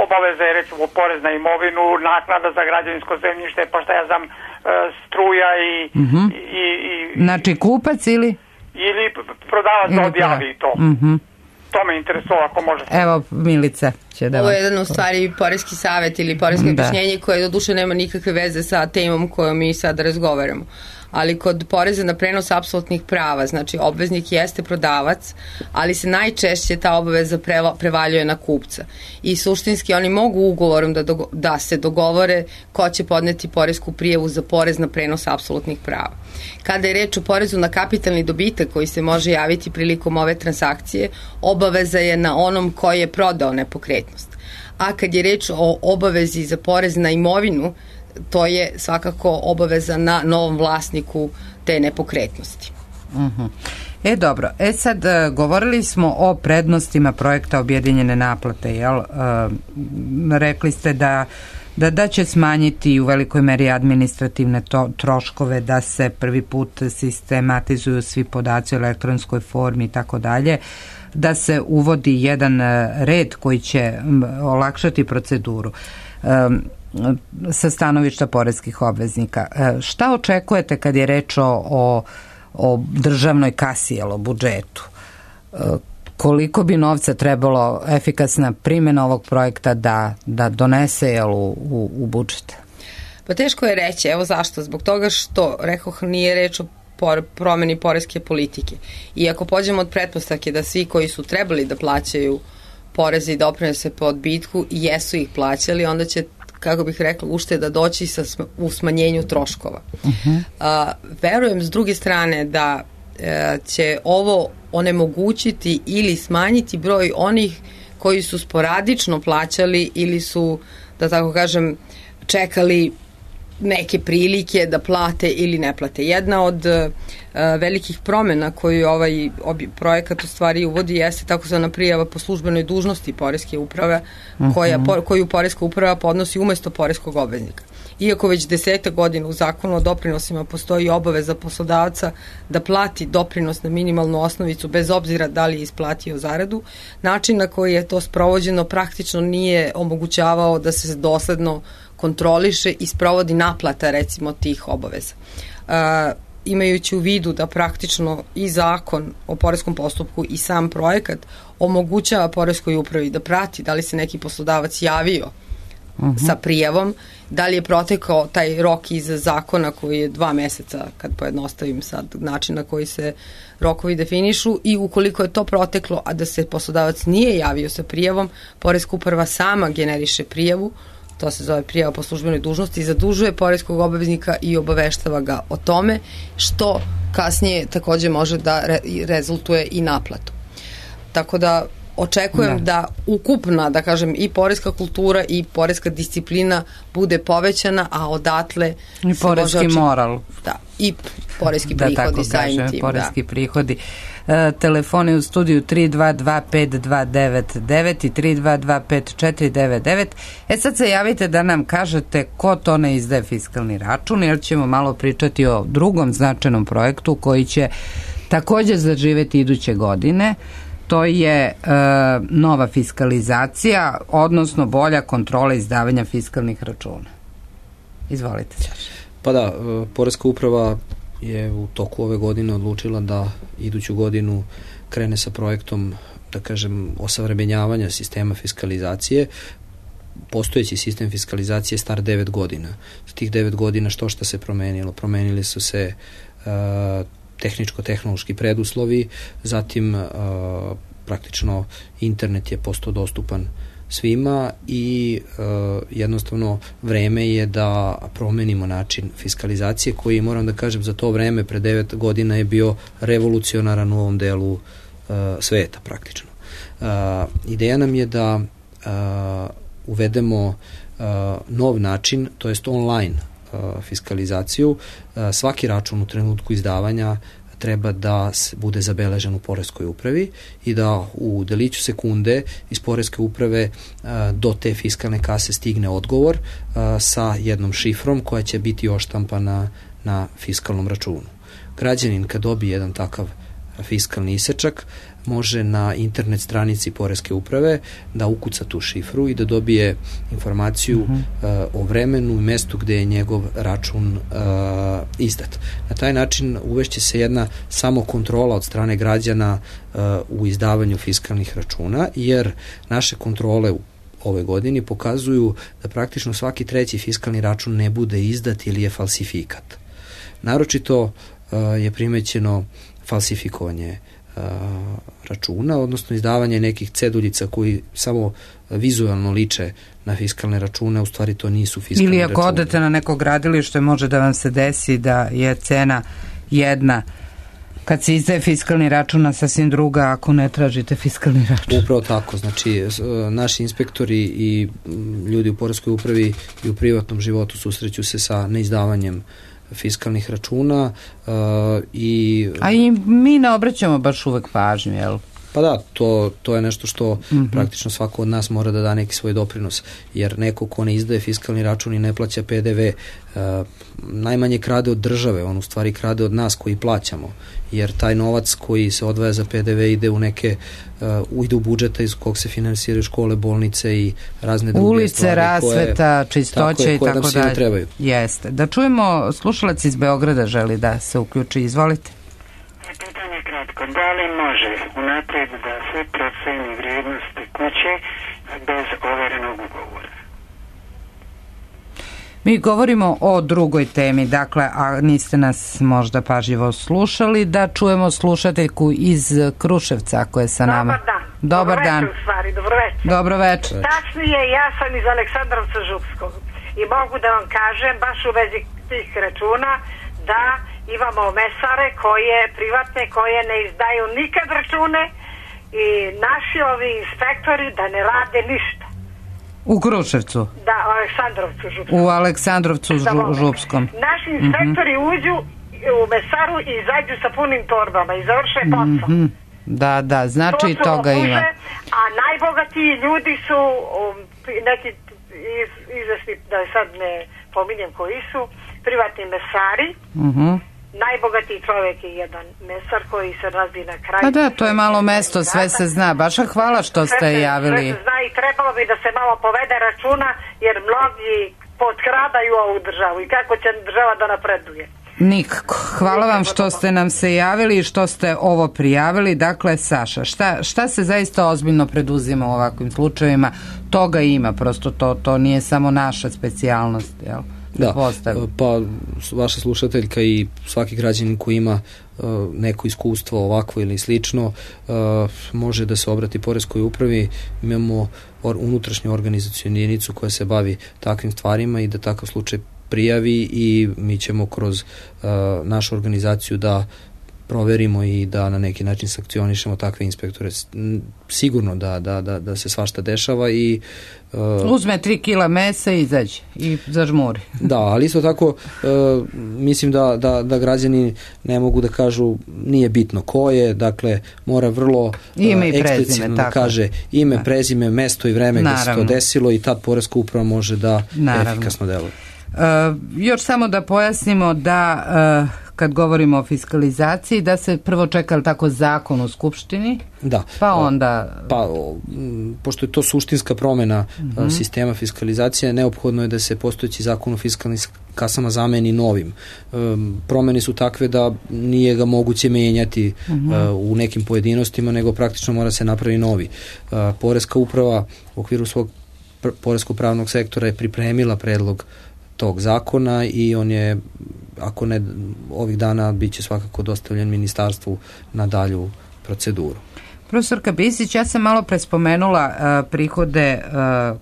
obaveza je recimo porez na imovinu, naknada za građevinsko zemljište, pa šta ja znam, struja i znači kupac ili prodavac da odjavi to. To me interesuje, ako možete. Evo, Milica će da... Ovo je jedan u stvari poreski savjet ili poresko objašnjenje koje doduše nema nikakve veze sa temom kojom mi sad razgovaramo. Ali kod poreza na prenos apsolutnih prava, znači obveznik jeste prodavac, ali se najčešće ta obaveza prevaljuje na kupca. I suštinski oni mogu ugovorom da se dogovore ko će podneti poresku prijavu za porez na prenos apsolutnih prava. Kada je reč o porezu na kapitalni dobitak koji se može javiti prilikom ove transakcije, obaveza je na onom koji je prodao nepokretnost. A kad je reč o obavezi za porez na imovinu, to je svakako obaveza na novom vlasniku te nepokretnosti. Dobro, sad govorili smo o prednostima projekta objedinjene naplate, jel? Rekli ste da će smanjiti u velikoj meri administrativne troškove, da se prvi put sistematizuju svi podaci u elektronskoj formi i tako dalje, da se uvodi jedan red koji će olakšati proceduru sa stanovišta poreskih obveznika. Šta očekujete kad je reč o državnoj kasi, o budžetu? Koliko bi novca trebalo efikasna primjena ovog projekta da donese u budžet? Pa teško je reći, evo zašto? Zbog toga što, rekoh, nije reč o promeni poreske politike. I ako pođemo od pretpostavke da svi koji su trebali da plaćaju poreze i doprinose po odbitku i jesu ih plaćali, onda će, kako bih rekla, ušteda doći u smanjenju troškova. Verujem s druge strane da će ovo onemogućiti ili smanjiti broj onih koji su sporadično plaćali ili su, da tako kažem, čekali neke prilike da plate ili ne plate. Jedna od velikih promjena koju ovaj projekat u stvari uvodi jeste takozvana prijava po službenoj dužnosti poreske uprave, koju poreska uprava podnosi umesto poreskog obveznika. Iako već 10 godina u zakonu o doprinosima postoji obaveza poslodavca da plati doprinos na minimalnu osnovicu bez obzira da li je isplatio zaradu, način na koji je to sprovođeno praktično nije omogućavao da se dosledno kontroliše i sprovodi naplata recimo tih obaveza. Imajući u vidu da praktično i zakon o poreskom postupku i sam projekat omogućava poreskoj upravi da prati da li se neki poslodavac javio sa prijavom, da li je protekao taj rok iz zakona koji je 2 meseca, kad pojednostavim sad način na koji se rokovi definišu, i ukoliko je to proteklo, a da se poslodavac nije javio sa prijavom, poreska uprava sama generiše prijavu, to se zove prijava po službenoj dužnosti, zadužuje poreskog obveznika i obaveštava ga o tome, što kasnije takođe može da rezultuje i naplatu. Tako da očekujem da ukupna, da kažem, i poreska kultura i poreska disciplina bude povećana, a odatle i poreski moral. Da, i poreski prihodi samim tim. Poreski prihodi. Telefoni u studiju 3225299 i 3225499. Sad se javite da nam kažete ko to ne izdaje fiskalni račun, jer ćemo malo pričati o drugom značajnom projektu koji će takođe zaživeti iduće godine. To je nova fiskalizacija, odnosno bolja kontrola izdavanja fiskalnih računa. Izvolite. Pa da, Poreska uprava je u toku ove godine odlučila da iduću godinu krene sa projektom, da kažem, osavremenjavanja sistema fiskalizacije. Postojeći sistem fiskalizacije je star 9 godina. S tih 9 godina što se promenilo? Promenili su se tehničko-tehnološki preduslovi, zatim praktično internet je postao dostupan svima i jednostavno vreme je da promenimo način fiskalizacije koji, moram da kažem, za to vreme pre 9 godina je bio revolucionaran u ovom delu sveta praktično. Ideja nam je da uvedemo nov način, to jest online fiskalizaciju. Svaki račun u trenutku izdavanja treba da bude zabeležen u poreskoj upravi i da u deliću sekunde iz poreske uprave do te fiskalne kase stigne odgovor sa jednom šifrom koja će biti oštampana na fiskalnom računu. Građanin kad dobije jedan takav fiskalni isečak može na internet stranici Poreske uprave da ukuca tu šifru i da dobije informaciju o vremenu i mestu gde je njegov račun izdat. Na taj način uvešće se jedna samokontrola od strane građana u izdavanju fiskalnih računa, jer naše kontrole u ove godini pokazuju da praktično svaki treći fiskalni račun ne bude izdat ili je falsifikat. Naročito je primećeno falsifikovanje računa, odnosno izdavanje nekih ceduljica koji samo vizualno liče na fiskalne račune, u stvari to nisu fiskalni računi. Ili ako odete na neko gradilište, može da vam se desi da je cena jedna kad se izdaje fiskalni račun, a sasvim druga ako ne tražite fiskalni račun. Upravo tako, znači naši inspektori i ljudi u poreskoj upravi i u privatnom životu susreću se sa neizdavanjem fiskalnih računa A i mi ne obraćamo baš uvek pažnju, jel? Pa da, to je nešto što praktično svako od nas mora da da neki svoj doprinos, jer neko ko ne izdaje fiskalni račun i ne plaća PDV, najmanje krade od države, on u stvari krade od nas koji plaćamo, jer taj novac koji se odvaja za PDV ide u neke ide u budžeta iz kog se finansiraju škole, bolnice i razne druge ulice, stvari. rasveta, čistoća i tako dalje. Trebaju. Jeste. Da čujemo, slušalac iz Beograda želi da se uključi, izvolite. Pitanje kratko, da li može unaprijed da se proceni vrijednosti kuće bez overenog ugovora? Mi govorimo o drugoj temi, dakle, a niste nas možda pažljivo slušali, da čujemo slušateljku iz Kruševca, ako je sa nama. Dobar dan. Dobar dan. Dobro večer. Dobro večer. Tačnije, ja sam iz Aleksandrovca Župskog i mogu da vam kažem, baš u vezi tih računa, da imamo mesare koje privatne, koje ne izdaju nikad račune i naši ovi inspektori da ne rade ništa. U Kruševcu? Da, u Aleksandrovcu Župskom. U Aleksandrovcu Župskom. Naši inspektori uđu u mesaru i izađu sa punim torbama i završe posao. Da, znači i toga ima. A najbogatiji ljudi su neki izvesni, da sad ne pominjem koji su, privatni mesari. Najbogatiji čovjek je jedan mesar koji se razbi na kraju. Pa da, to je malo mesto, sve se zna. Baš hvala što ste javili. Sve se zna i trebalo bi da se malo povede računa, jer mnogi potkradaju ovu državu i kako će država da napreduje. Nikako. Hvala vam što ste nam se javili i što ste ovo prijavili. Dakle, Saša, šta se zaista ozbiljno preduzima u ovakvim slučajevima? Toga ima, prosto to nije samo naša specijalnost, jel? Da, pa vaša slušateljka i svaki građanin koji ima neko iskustvo ovakvo ili slično može da se obrati Poreskoj upravi. Imamo unutrašnju organizacionu jedinicu koja se bavi takvim stvarima i da takav slučaj prijavi i mi ćemo kroz našu organizaciju da proverimo i da na neki način sankcionišemo takve inspektore. Sigurno da se svašta dešava i uzme 3 kila mesa i izađe i zažmuri. Da, ali isto tako mislim da građani ne mogu da kažu nije bitno ko je, dakle mora vrlo eksplicitno da kaže ime, prezime, mesto i vreme gde se to desilo i tad Poreska uprava može da efikasno deluje. Još samo da pojasnimo da kad govorimo o fiskalizaciji, da se prvo čeka tako zakon u Skupštini, pa onda... Pošto je to suštinska promena sistema fiskalizacije, neophodno je da se postojeći zakon o fiskalnim kasama zameni novim. Promene su takve da nije ga moguće menjati u nekim pojedinostima, nego praktično mora se napravi novi. Poreska uprava u okviru svog poreskog pravnog sektora je pripremila predlog tog zakona i on je, ako ne ovih dana, bit će svakako dostavljen ministarstvu na dalju proceduru. Profesorka Bisić, ja sam malo prespomenula prihode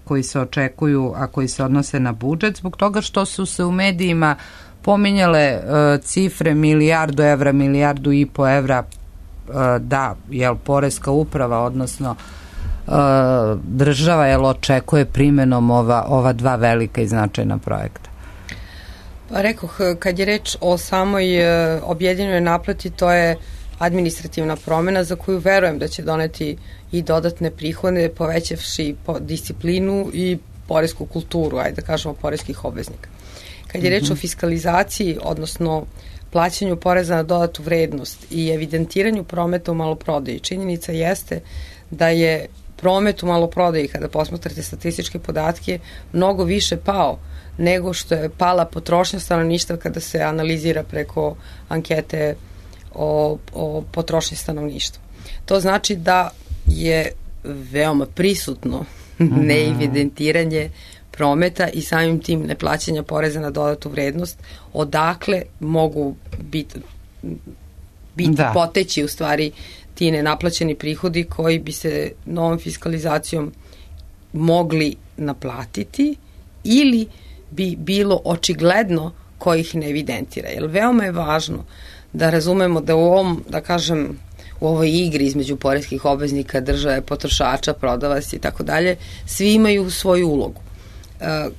koji se očekuju, a koji se odnose na budžet, zbog toga što su se u medijima pominjale cifre milijardu evra, milijardu i po evra da, Poreska uprava, odnosno država očekuje primenom ova dva velika i značajna projekta. Pa rekoh, kad je reč o samoj objedinjenoj naplati, to je administrativna promena za koju verujem da će doneti i dodatne prihode, povećavši disciplinu i poresku kulturu, ajde da kažemo, poreskih obveznika. Kad je reč o fiskalizaciji, odnosno plaćanju poreza na dodatu vrednost i evidentiranju prometa u maloprodaji, činjenica jeste da je promet u maloprodaji, kada posmatrate statističke podatke, mnogo više pao nego što je pala potrošnja stanovništva kada se analizira preko ankete o potrošnji stanovništva. To znači da je veoma prisutno neevidentiranje prometa i samim tim neplaćanja poreza na dodatu vrednost, odakle mogu biti poteći u stvari ti nenaplaćeni prihodi koji bi se novom fiskalizacijom mogli naplatiti ili bi bilo očigledno ko ih ne evidentira. Jer veoma je važno da razumemo da u ovom, da kažem, u ovoj igri između poreskih obveznika, države, potrošača, prodavaca i tako dalje, svi imaju svoju ulogu.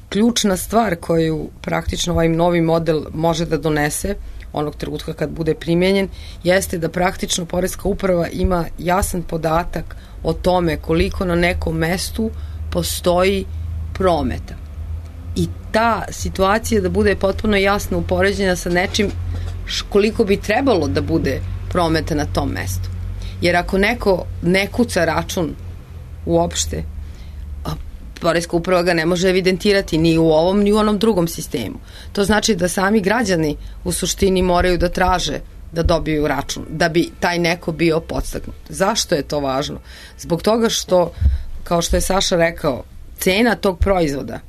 Ključna stvar koju praktično ovaj novi model može da donese onog trenutka kad bude primjenjen, jeste da praktično poreska uprava ima jasan podatak o tome koliko na nekom mestu postoji prometa. I ta situacija da bude potpuno jasno upoređena sa nečim koliko bi trebalo da bude prometa na tom mestu. Jer ako neko ne kuca račun uopšte, poreska uprava ga ne može evidentirati ni u ovom ni u onom drugom sistemu. To znači da sami građani u suštini moraju da traže da dobiju račun, da bi taj neko bio podstaknut. Zašto je to važno? Zbog toga što, kao što je Saša rekao, cena tog proizvoda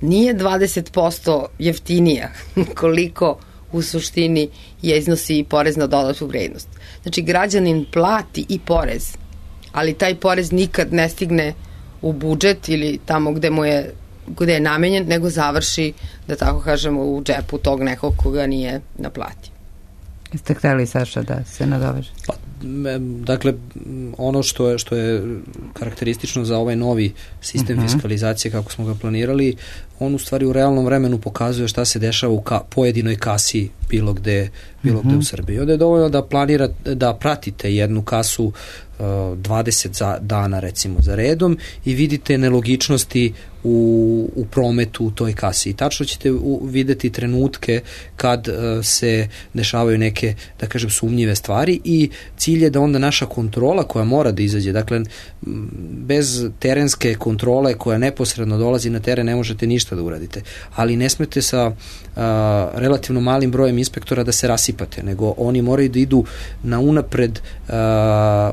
nije 20% jeftinija koliko u suštini je iznosi porez na dodatu vrednost. Znači, građanin plati i porez, ali taj porez nikad ne stigne u budžet ili tamo gde je namenjen, nego završi, da tako kažemo, u džepu tog nekog koga nije naplatio. Jeste hteli, Saša, da se nadoveže? Dakle, ono što je karakteristično za ovaj novi sistem fiskalizacije kako smo ga planirali, on u stvari u realnom vremenu pokazuje šta se dešava u pojedinoj kasi bilo gde u Srbiji. Onda je dovoljno da pratite jednu kasu 20 dana recimo za redom i vidite nelogičnosti u prometu u toj kasi. I tačno ćete videti trenutke kad se dešavaju neke, da kažem, sumnjive stvari i cilj je da onda naša kontrola koja mora da izađe, dakle bez terenske kontrole koja neposredno dolazi na teren ne možete ništa da uradite, ali ne smete sa relativno malim brojem inspektora da se rasipate, nego oni moraju da idu na unapred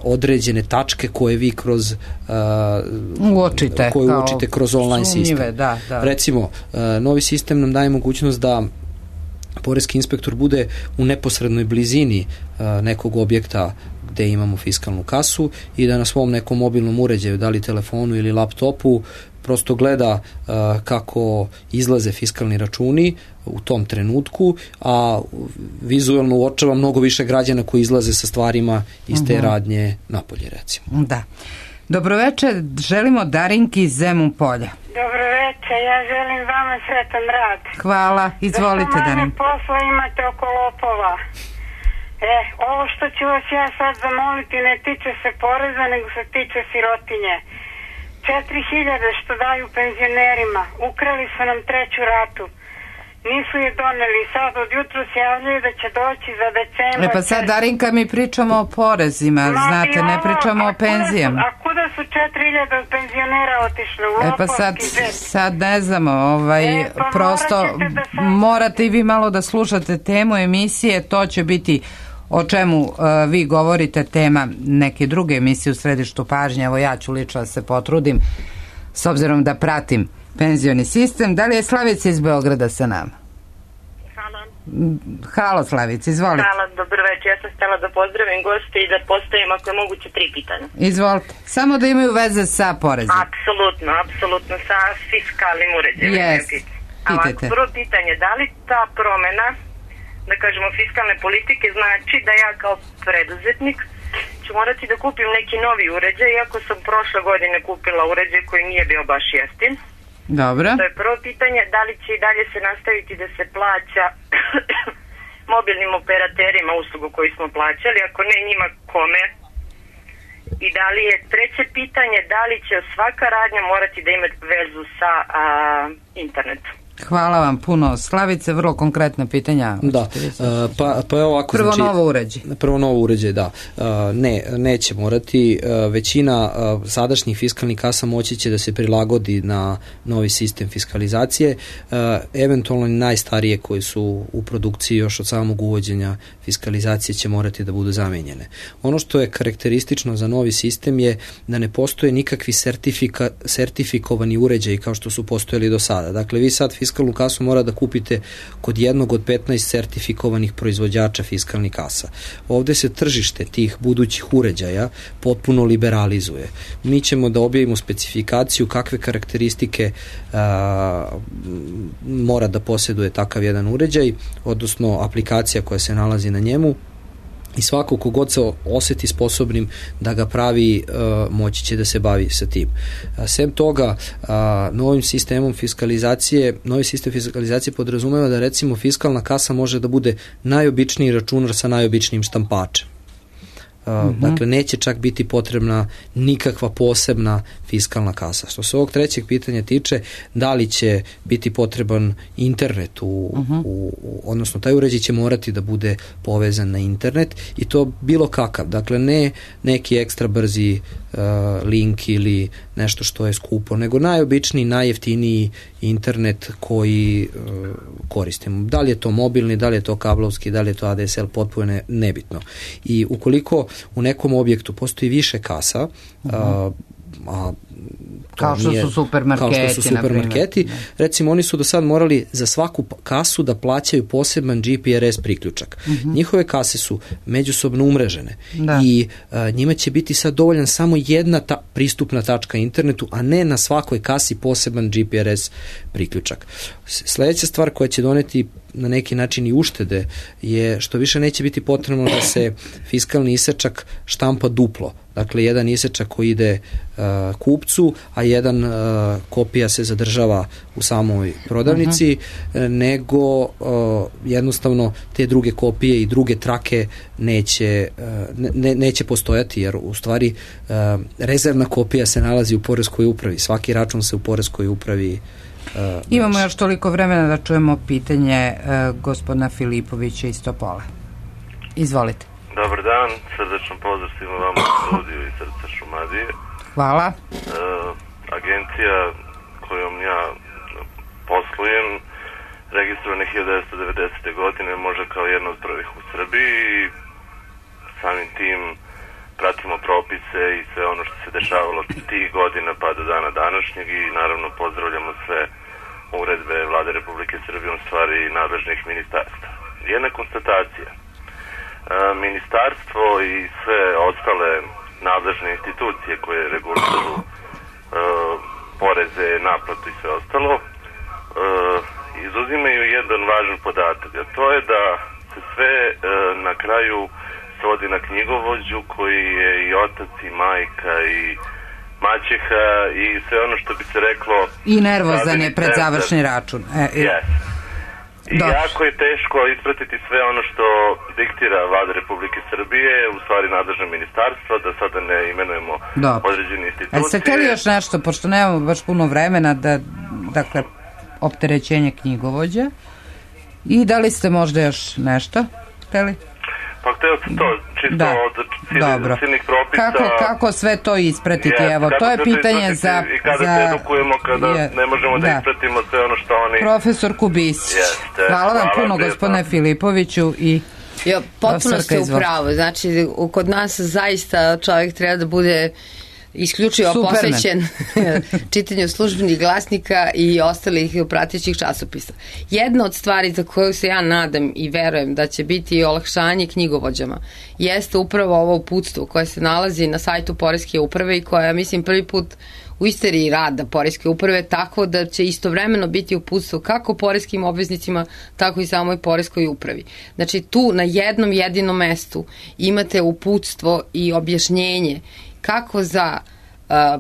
određene tačke koje vi kroz uočite kroz online sistem. Da. Recimo, novi sistem nam daje mogućnost da poreski inspektor bude u neposrednoj blizini nekog objekta gde imamo fiskalnu kasu i da na svom nekom mobilnom uređaju, da li telefonu ili laptopu, prosto gleda kako izlaze fiskalni računi u tom trenutku, a vizualno uočava mnogo više građana koji izlaze sa stvarima iz te radnje napolje, recimo. Da. Dobroveče, želimo Darinki iz Zemun Polja. Dobroveče, ja želim vama sretan rad. Hvala, izvolite Darinka. Da što manje posla imate oko lopova. Ovo što ću vas ja sad zamoliti ne tiče se poreza, nego se tiče sirotinje. 4.000 što daju penzionerima, ukrali su nam 3. ratu. Nisu je doneli, sad od jutru se javljaju da će doći za decembar. Pa sad, Darinka, mi pričamo o porezima, znate, ne pričamo o penzijama. A kuda su 4.000 od penzionera otišli? Pa sad ne znamo, prosto morate i vi malo da slušate temu emisije, to će biti o čemu vi govorite, tema neke druge emisije u središtu pažnje. Evo, ja ću lično da se potrudim s obzirom da pratim penzioni sistem. Da li je Slavica iz Beograda sa nama? Halo Slavica, izvolite. Hvala, dobro večer. Ja sam htjela da pozdravim goste i da postavim, ako je moguće, 3 pitanja. Izvolite. Samo da imaju veze sa porezom. Apsolutno, sa fiskalnim uređajem. Pitajte. Prvo pitanje, da li ta promena, da kažemo, fiskalne politike znači da ja kao preduzetnik ću morati da kupim neki novi uređaj, iako sam prošle godine kupila uređaj koji nije bio baš jeftin. Dobro. To je prvo pitanje, da li će i dalje se nastaviti da se plaća mobilnim operaterima uslugu koju smo plaćali, ako ne njima kome? I da li je treće pitanje, da li će svaka radnja morati da ima vezu sa internetom? Hvala vam puno. Slavice, vrlo konkretna pitanja. Da, pa je ovako. Prvo novo uređaj. Prvo novo uređaj, da. Neće morati. Većina sadašnjih fiskalnih kasa moći će da se prilagodi na novi sistem fiskalizacije. Eventualno najstarije koje su u produkciji još od samog uvođenja fiskalizacije će morati da budu zamenjene. Ono što je karakteristično za novi sistem je da ne postoje nikakvi sertifikovani uređaji kao što su postojali do sada. Dakle, vi sad fiskalnu kasu mora da kupite kod jednog od 15 sertifikovanih proizvođača fiskalnih kasa. Ovde se tržište tih budućih uređaja potpuno liberalizuje. Mi ćemo da objavimo specifikaciju kakve karakteristike mora da posjeduje takav jedan uređaj, odnosno aplikacija koja se nalazi na njemu, i svako kogod se oseti sposobnim da ga pravi, moći će da se bavi sa tim. Sem toga, novi sistem fiskalizacije podrazumeva da recimo fiskalna kasa može da bude najobičniji računar sa najobičnijim štampačem. Dakle, neće čak biti potrebna nikakva posebna fiskalna kasa. Što se ovog trećeg pitanja tiče, da li će biti potreban internet, odnosno taj uređaj će morati da bude povezan na internet, i to bilo kakav. Dakle, ne neki ekstra brzi link ili nešto što je skupo, nego najobičniji, najjeftiniji internet koji koristimo. Da li je to mobilni, da li je to kablovski, da li je to ADSL, potpuno nebitno. I ukoliko u nekom objektu postoji više kasa, kao što su supermarketi, recimo oni su do sad morali za svaku kasu da plaćaju poseban GPRS priključak. Njihove kase su međusobno umrežene i njima će biti sad dovoljan samo jedna pristupna tačka internetu, a ne na svakoj kasi poseban GPRS priključak. Sledeća stvar koja će doneti na neki način i uštede je što više neće biti potrebno da se fiskalni isečak štampa duplo. Dakle, jedan isečak koji ide kupcu, a jedan kopija se zadržava u samoj prodavnici, nego jednostavno te druge kopije i druge trake neće postojati, jer u stvari rezervna kopija se nalazi u poreskoj upravi. Svaki račun se u poreskoj upravi Imamo još toliko vremena da čujemo pitanje gospodina Filipovića iz Topole. Izvolite. Dobar dan, srdačno pozdrav svima vama u studiju iz srca Šumadije. Hvala. Agencija kojom ja poslujem, registrovana 1990. godine, može kao jedna od prvih u Srbiji, i samim tim pratimo propise i sve ono što se dešavalo tih godina pa do dana današnjeg, i naravno pozdravljamo sve uredbe Vlade Republike Srbije, u stvari nadležnih ministarstva. Jedna konstatacija. Ministarstvo i sve ostale nadležne institucije koje regulišu poreze, naplatu i sve ostalo, izuzimaju jedan važan podatak, a to je da se sve na kraju svodi na knjigovođu koji je i otac i majka i maćeha i sve ono što bi se reklo... I nervozan je pred završni račun. I jako je teško ispratiti sve ono što diktira Vlada Republike Srbije, u stvari nadležno ministarstvo, da sada ne imenujemo određene institucije. A ste hteli još nešto, pošto nemamo baš puno vremena, dakle, opterećenje knjigovođa, i da li ste možda još nešto hteli? Pa htio sam to, čisto od silnih propisa. Kako sve to ispratiti? Evo, to je pitanje za... I kada se edukujemo, kada ne možemo da ispratimo sve ono što oni... Profesor Kubisić. Hvala vam puno, gospodine Filipoviću. Potpuno ste u pravu. Znači, kod nas zaista čovjek treba da bude isključivo posvećen čitanju službenih glasnika i ostalih pratećih časopisa. Jedna od stvari za koju se ja nadam i verujem da će biti olakšanje knjigovođama jeste upravo ovo uputstvo koje se nalazi na sajtu Poreske uprave i koja, mislim, prvi put u istoriji rada Poreske uprave, tako da će istovremeno biti uputstvo kako poreskim obveznicima, tako i samoj Poreskoj upravi. Znači, tu na jednom jedinom mestu imate uputstvo i objašnjenje kako za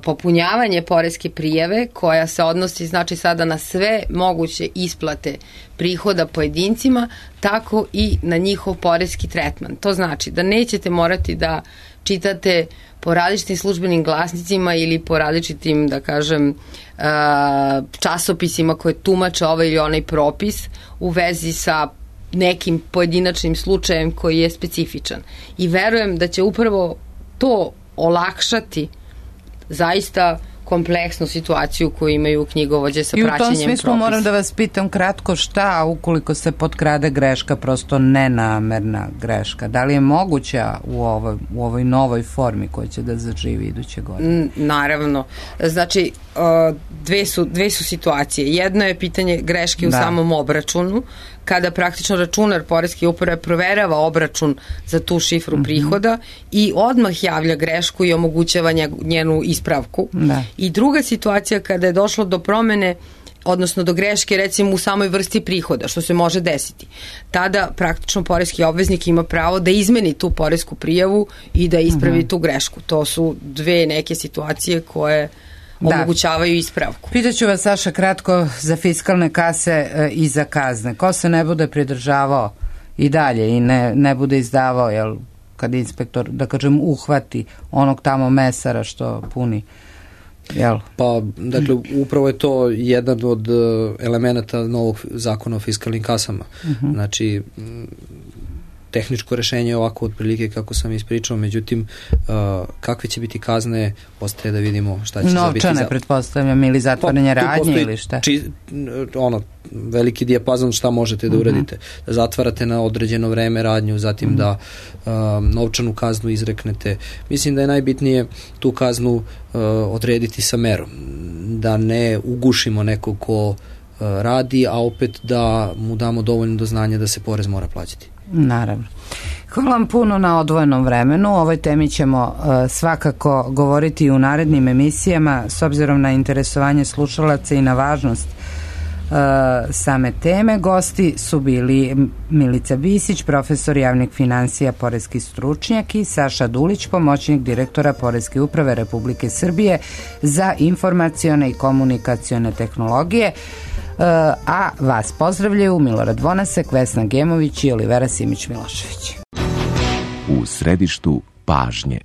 popunjavanje poreske prijave, koja se odnosi, znači, sada na sve moguće isplate prihoda pojedincima, tako i na njihov poreski tretman. To znači da nećete morati da čitate po različitim službenim glasnicima ili po različitim, da kažem, časopisima koje tumače ovaj ili onaj propis u vezi sa nekim pojedinačnim slučajem koji je specifičan. I verujem da će upravo to olakšati zaista kompleksnu situaciju koju imaju knjigovođe sa praćenjem propisa. I u tom smislu moram da vas pitam kratko šta ukoliko se potkrade greška, prosto nenamerna greška. Da li je moguća u ovoj novoj formi koja će da zaživi iduće godine? Naravno. Znači, dve su situacije. Jedno je pitanje greške u samom obračunu, kada praktično računar poreske uprave proverava obračun za tu šifru prihoda i odmah javlja grešku i omogućava njenu ispravku. I druga situacija kada je došlo do promene, odnosno do greške recimo u samoj vrsti prihoda, što se može desiti. Tada praktično poreski obveznik ima pravo da izmeni tu poresku prijavu i da ispravi tu grešku. To su dve neke situacije koje omogućavaju ispravku. Pitaću vas, Saša, kratko za fiskalne kase i za kazne. Ko se ne bude pridržavao i dalje i ne bude izdavao, jel, kad inspektor, da kažem, uhvati onog tamo mesara što puni, jel? Pa, dakle, upravo je to jedan od elemenata novog zakona o fiskalnim kasama. Znači, tehničko rešenje je ovako otprilike kako sam ispričao, međutim kakve će biti kazne, ostaje da vidimo šta će biti. Novčane, pretpostavljam, ili zatvaranje radnje ili šta? Veliki dijapazon šta možete da uradite. Da zatvarate na određeno vreme radnju, zatim da novčanu kaznu izreknete. Mislim da je najbitnije tu kaznu odrediti sa merom. Da ne ugušimo nekog ko radi, a opet da mu damo dovoljno do znanja da se porez mora plaćati. Naravno. Hvala vam puno na odvojenom vremenu. O ovoj temi ćemo svakako govoriti u narednim emisijama s obzirom na interesovanje slušalaca i na važnost same teme. Gosti su bili Milica Bisić, profesor javnih finansija, poreski stručnjak, i Saša Dulić, pomoćnik direktora Poreske uprave Republike Srbije za informacione i komunikacione tehnologije. A vas pozdravljaju Milorad Vonasek, Vesna Gemović i Olivera Simić-Milošević. U središtu pažnje.